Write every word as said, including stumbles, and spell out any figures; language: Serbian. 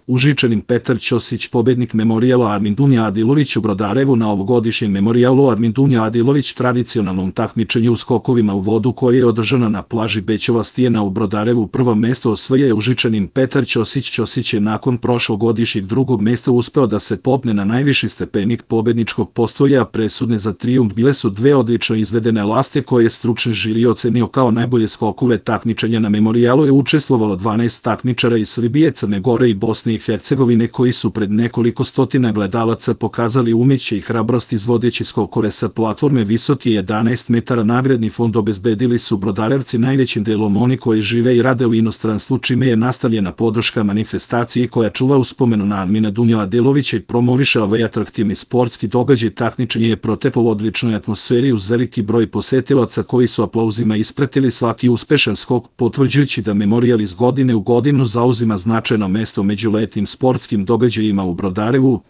Užičanin Petar Ćosić, pobednik Memorijala Armin Dunja Adilović u Brodarevu na ovogodišnjem Memorijalu Armin Dunja Adilović tradicionalnom takmičenju u skokovima u vodu koje je održano na plaži Bećova stijena u Brodarevu. Prvo mesto osvaja je Užičanin Petar Ćosić. Ćosić je nakon prošlogodišnjeg drugog mesta uspeo da se popne na najviši stepenik pobedničkog postoja. Presudne za trijumf bile su dve odlično izvedene laste koje je stručni žiri ocenio kao najbolje skokove takmičenja. Na Memorijalu je učestvovalo dvanaest takmičara iz Srbije, Crne Gore i Bosne i Hercegovine koji su pred nekoliko stotina gledalaca pokazali umeće i hrabrost izvodeći skokove sa platforme visoke jedanaest metara. Nagradni fond obezbedili su Brodarevci, najvećim delom oni koji žive i rade u inostranstvu, čime je nastavljena podrška manifestaciji koja čuva uspomenu na Armina Dunju Adilovića i promoviše ovaj atraktivni sportski događaj. Takmičenje je proteklo u odličnoj atmosferi uz veliki broj posetilaca koji su aplauzima ispratili svaki uspešan skok, potvrđujući da Memorijal iz godine u godinu zauzima značajno mesto među letnjim sportskim događajima u Brodarevu.